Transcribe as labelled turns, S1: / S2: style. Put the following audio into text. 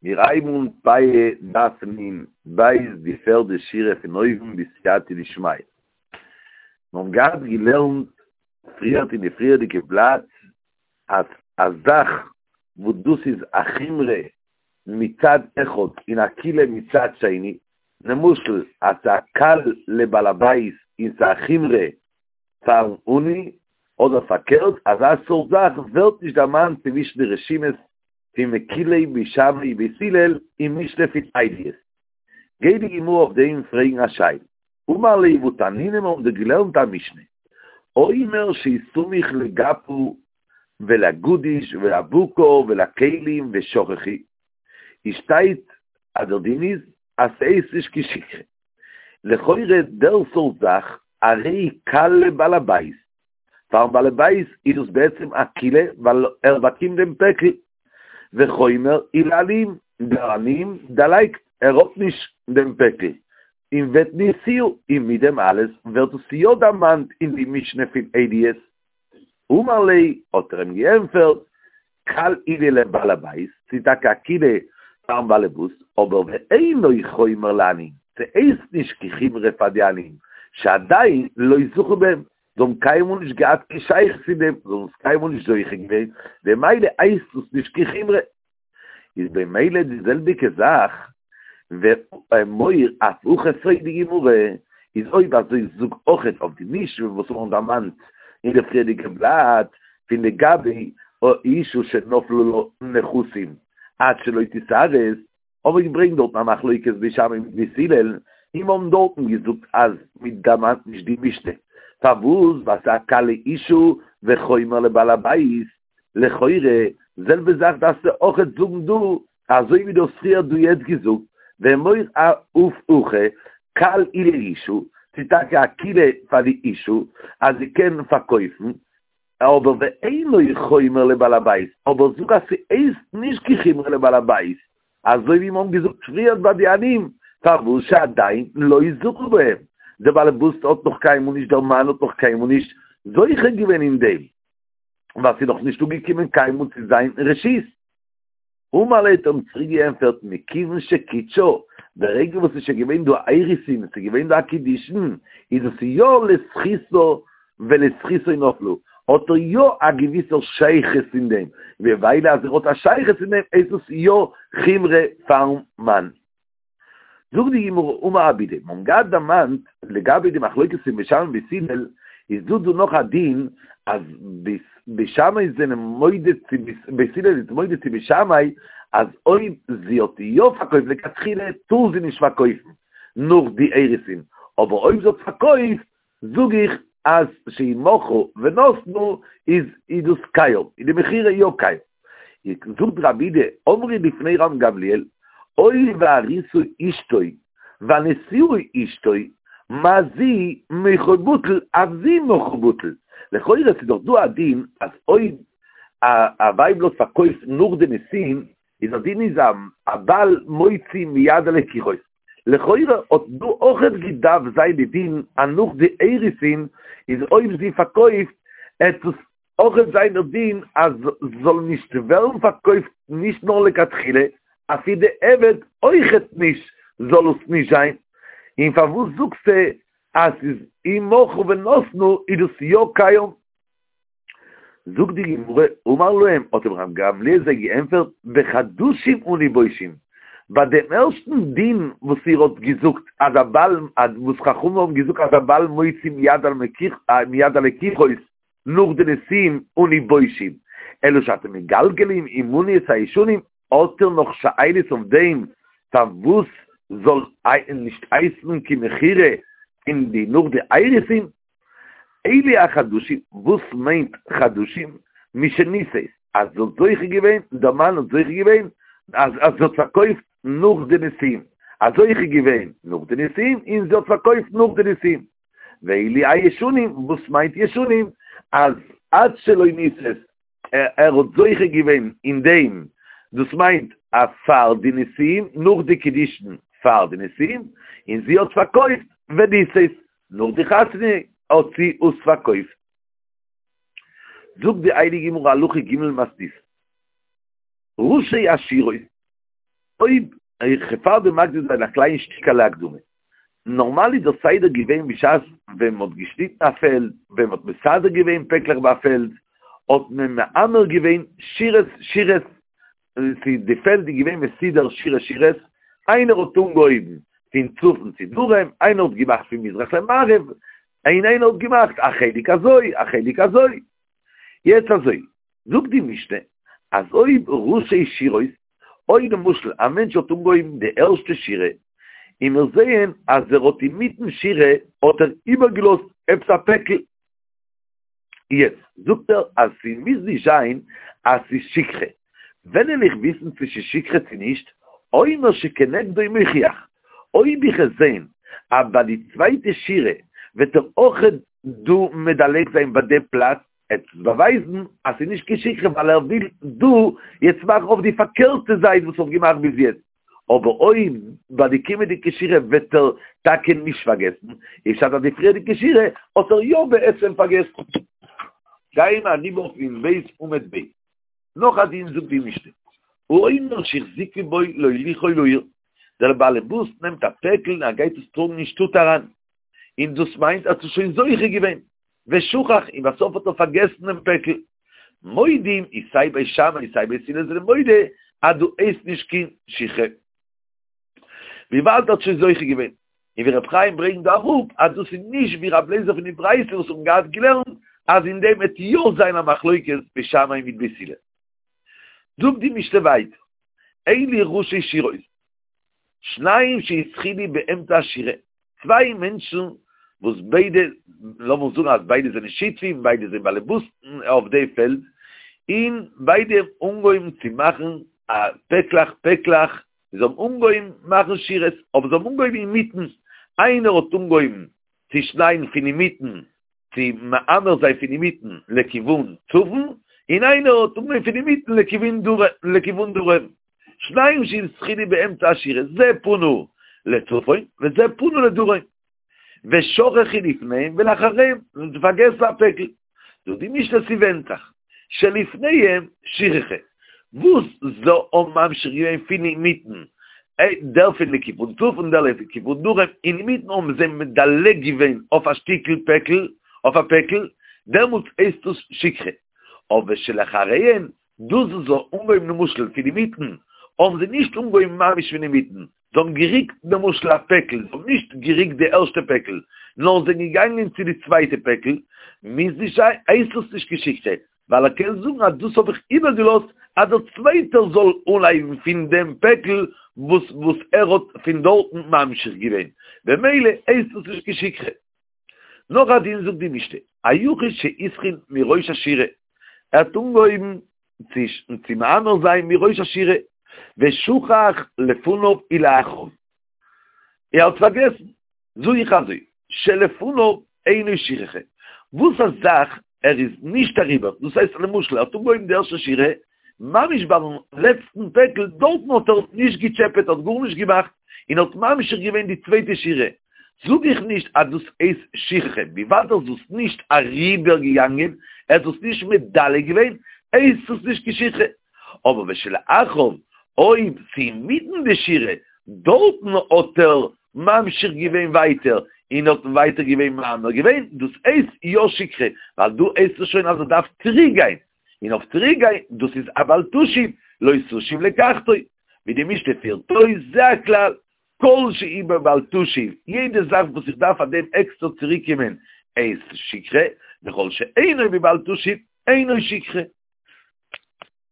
S1: מיר הייבן אן פאה דף נ בית די פערדע שורה פון אויבן בסייעתא דשמיא. מיר האבן געהאט געלערנט פריערט אין די פריערדיגע בלאט אז א זאך וואס דאס איז א חומרא מצד אחד און א קולא מצד שני, למשל אז ס'איז א קל לבעל הבית און ס'איז א חומרא פארן עני, אדער פארקערט, אזא סארט זאך ווערט נישט דערמאנט צווישן די רשימות פון מקילי בית שמאי ובית הלל אין משנה פון עדיות. גייט די גמרא אויף דעם פרעגן א שאלה. אמר ליה והתנינא מיר האבן דא געלערנט א משנה, אומר שסמוך לגפה ולגדיש ולבקר ולכלים ושכחו, איז שטייט אז דער דין איז אז ס'הייסט נישט קיין שכחה. לכאורה דער סארט זאך הרי קל לבעל הבית, פארן בעל הבית איז דאס בעצם א קולא ווייל ער באקומט דעם פעקל, וחומר הוא לעניים, דער עניים דערלייגט, ער האט נישט דעם פעקל, און ותניתוה, און מיט דעם אלעס ווערט עס יא דערמאנט אין די משנה פון עדיות. אמר ליה, האט ער אים געענטפערט, קל הוא לבעל הבית, ס'איז טאקע א קולא פארן באלעבאס, אבער ואינו חומר לעניים, ס'הייסט נישט קיין חומרא פאר די עניים, שעדיין לא זכו בהם, זיי האבן קיינמאל נישט געהאט קיין שייכות צו דעם, זיי האבן עס קיינמאל נישט זוכה געווען, במילא הייסט עס נישט קיין חומרא. איז במילא די זעלביגע זאך, ואמור אף הכא פרעגט די גמרא, איז אויב אזוי זאג אויכעט אויף די משנה וואס מיר האבן דערמאנט אין די פריערדיגע בלאט פון לגבי אשה שנפלו לה נכסים עד שלא תתארס, האבן מיר געברענגט דארטן א מחלוקת בית שמאי מיט בית הלל, און מיר האבן דארטן געזאגט אז מען דערמאנט נישט די משנה, פארוואס? ווייל ס'איז א קל לאשה וחומר לבעל הבית, לכאורה, זעלבע זאך דארפסטו אויכעט זאגן דא, אזוי ווי דו האסט פריער דא יעצט געזאגט, ואמור אף הכא קל הוא לאשה, ס'איז טאקע א קולא פאר די אשה אז זי קען פארקויפן, אבער ואינו חומר לבעל הבית, אבער זאג אז ס'הייסט נישט קיין חומרא לבעל הבית, אזוי ווי מיר האבן געזאגט פריער ביי די עניים, פארוואס שעדיין לא זכו בהם, דער בעל הבית האט נאך קיינמאל נישט, דער מאן האט נאך קיינמאל נישט זוכה געווען אין דעם, ווייל ס'איז נאך נישט אנגעקומען קיינמאל צו זיין רשות. אמר ליה האט ער אים צוריק געענטפערט מכיוון שקידשה, ברגע וואס ס'איז שוין געווען דא א אירוסין, ס'איז געווען דא א קידושין, איז עס יא לזכותה ולזכותו נפלו, האט ער יא א געוויסער שייכות אין דעם, ממילא אז ער האט א שייכות אין דעם איז עס יא חומרא פארן מאן. זאגט די גמרא אמר רב אידי, מיר האבן געהאט דערמאנט לגבי די מחלוקת פון בית שמאי און בית הלל, איז דא דא נאך א דין אז בית שמאי זענען מודה צו בית הלל איז מודה צו בית שמאי אז אויב זי האט יא פארקויפט לכתחילה טאר זי נישט פארקויפן נאך די אירוסין, אבער אויב זי האט פארקויפט זאג איך אז שאם מכרה ונתנה איז איז דאס קיים, איז די מכירה יא קיים. זאגט רב אידי, אמרו לפני רבן גמליאל, הואיל והארוסה אשתו והנשואה אשתו, מה זו מכרה בטל אף זו מכרה בטל. לכאורה ס'איז דאך דא א דין אז אויב א ווייבל האט פארקויפט נאך די נישואין, איז א דין איז הבעל מוציא מיד הלקוחות. לכאורה האט דא אויכעט געדארפט זיין די דין אז נאך די אירוסין איז אויב זי פארקויפט עט עס אויכעט זיין דער דין אז זאל נישט ווערן פארקויפט נישט נאר לכתחילה אפי' בדיעבד אויכעט נישט זאל עס נישט זיין, און פארוואס זאגסטו אז ס'איז אם מכרה ונתנה איז דאס יא קיים? זאגט די גמרא, אמר להם, האט אים רבן גמליאל זיי געענטפערט, בחדשים אנו בושין, ביי דעם ערשטן דין וואס איר האט געזאגט אז הבעל, וואס חכמים האבן געזאגט אז הבעל מוציא מיד הלקוחות נאך די נישואין אנו בושין, אלא שאתם מגלגלים עמנו את הישנים, האט איר נאך שאלות אויף דעם פארוואס זאל נישט הייסן קיין מכירה אין די נאך די אירוסין? אלו החדשים, וואס מיינט חדשים? משנישאת, אז זי האט זוכה געווען, דער מאן האט זוכה געווען, אז זי האט פארקויפט נאך די נישואין, אז זוכה געווען נאך די נישואין, און זי האט פארקויפט נאך די נישואין. ואלו הישנים, וואס מיינט ישנים? אז עד שלא נישאת, ער האט זוכה געווען אין דעם, דאס מיינט אז פאר די נישואין, נאך די קידושין פאר די נישואין, און זי האט פארקויפט ונישאת, נאך די חתונה האט זי עס פארקויפט. זאגט די הייליגע גמרא הלכה ג' מתניתין, ראשי עשירות. אויב איך פאר דעם מקדים זיין א קליין שטיקעלע הקדמה. נארמאל איז דער סדר געווען בשעת ווען מ'האט געשניטן א פעלד, ווען מ'האט מסדר געווען פעקלעך ביי א פעלד, האט מען מעמר געווען שורות שורות, די פעלד איז געווען מסודר שורות שורות, איינער האט אנגעהויבן פון צפון צו דרום, איינער האט געמאכט פון מזרח למערב, און איינער האט געמאכט א חלק אזוי, א חלק אזוי. יעצט אזוי, זאגט די משנה, אז אויב ראשי שורות, אויב למשל א מענטש האט אנגעהויבן די ערשטע שורה, און מיר זעען אז ער האט אינמיטן שורה האט ער איבערגעלאזט עפעס א פעקל, יעצט זאגט ער אז ס'מוז נישט זיין אז ס'איז שכחה, ווען וועל איך וויסן צו ס'איז שכחה צו נישט, אומר שכנגדו מוכיח, אויב איך וועל זען אז ביי די צווייטע שורה וועט ער אויכעט דא מדלג זיין ביי די פלאץ, עט עס באווייזן אז ס'איז נישט קיין שכחה ווייל ער וויל דא יעצט מאכן אויף די פארקערטע זייט וואס ער האט געמאכט ביז יעצט, אבער אויב ביי די קומענדיגע שורה וועט ער טאקע נישט פארגעסן, איז פשט אז די פריערדיגע שורה האט ער יא בעצם פארגעסן. גייען מיר אריבער אויף נ"ב עמוד ב'. נאך א דין זאגט די משנה, האומר שהחזיקו בו להוליכו לעיר, דער באלעבאס נעמט א פעקל און ער גייט עס טראגן אין שטאט אריין, און דאס מיינט ער האט עס שוין זוכה געווען, ושכח, און בסוף האט ער פארגעסן דעם פעקל. מודים איז סיי בית שמאי סיי בית הלל זענען מודה אז דא הייסט נישט קיין שכחה. וויבאלד ער האט שוין זוכה געווען. און ווי ר' חיים ברענגט דא אראפ אז דאס איז נישט ווי ר' לעזער פון די ברייתא וואס האבן געהאט געלערנט אז אין דעם וועט יא זיין א מחלוקת בית שמאי מיט בית הלל. זאגט די משנה ווייטער, אלו ראשי שורות, שניים שהתחילו באמצע השורה, צוויי מענטשן וואס ביידע, לאמיר זאגן אז ביידע זענען שותפים, ביידע זענען באלעבאסן אויף די פעלד, און ביידע האבן אנגעהויבן צו מאכן א פעקלעך פעקלעך, זיי האבן אנגעהויבן מאכן שורות, אבער זיי האבן אנגעהויבן אינמיטן, איינער האט אנגעהויבן צו שניידן פון אינמיטן, צו מעמר זיין פון אינמיטן לכיוון צפון, און איינער האט אנגעהויבן פון אינמיטן לכיוון דרום. שניים שהתחילו באמצע השורה, זה פנה לצפון וזה פנה לדרום. ושכחו לפניהם ולאחריהם, און זיי פארגעסן א פעקל. זאגט די משנה ס'ווענדט זיך, שלפניהם שכחה, וואס זיי האבן ממשיך געווען פון אינמיטן, דער פון לכיוון צפון דער לכיוון דרום, אינמיטן האבן זיי מדלג געווען אויף א שטיקל פעקל, אויף א פעקל, דעמאלטס הייסט עס שכחה. אבער שלאחריהם דאס וואס זיי האבן אנגעהויבן למשל פון אינמיטן, האבן זיי נישט אנגעהויבן ממש פון אינמיטן, זיי האבן געריקט למשל א פעקל, זיי האבן נישט געריקט די ערשטע פעקל, נאר זענען געגאנגען צו די צווייטע פעקל, מוז נישט זיין, הייסט עס נישט קיין שכחה, ווייל ער קען זאגן אז דאס האב איך איבערגעלאזט אז דער צווייטער זאל אנהייבן פון דעם פעקל וואס וואס ער האט פון דארטן ממשיך געווען, במילא הייסט עס נישט קיין שכחה. נאך א דין זאגט די משנה, היחיד שהתחיל מראש השורה, ער האט אנגעהויבן צו צו מעמר זיין מראש השורה, ושכח לפניו ולאחריו, ער האט פארגעסן, זאג איך אזוי, שלפניו אינו שכחה, וואס א זאך ער איז נישט אריבער, דאס הייסט למשל ער האט אנגעהויבן די ערשטע שורה, ממש ביים לעצטן פעקל, דארטן האט ער נישט געטשעפעט, האט גארנישט געמאכט, און האט ממשיך געווען די צווייטע שורה, זאג איך נישט אז דאס הייסט שכחה, וויבאלד ער איז דאס נישט אריבער געגאנגען, ער האט דאס נישט מדלג געווען, הייסט עס נישט קיין שכחה. אבער ושלאחריו, אויב ס'אינמיטן די שורה, דארטן האט ער ממשיך געווען ווייטער, און האט ווייטער געווען מעמר געווען, דאס הייסט יא שכחה, ווייל דא הייסט עס שוין אז ער דארף צוריק גיין, און אויף צוריק גיין, דאס איז א בל תשיב, לא תשיב לקחתו, ווי די משנה פירט אויס, זה הכלל, כל שהוא בבל תשיב, יעדע זאך וואס איך דארף פאר דעם עקסטער צוריק קומען הייסט שכחה, וכל שאינו בבל תשיב, אינו שכחה.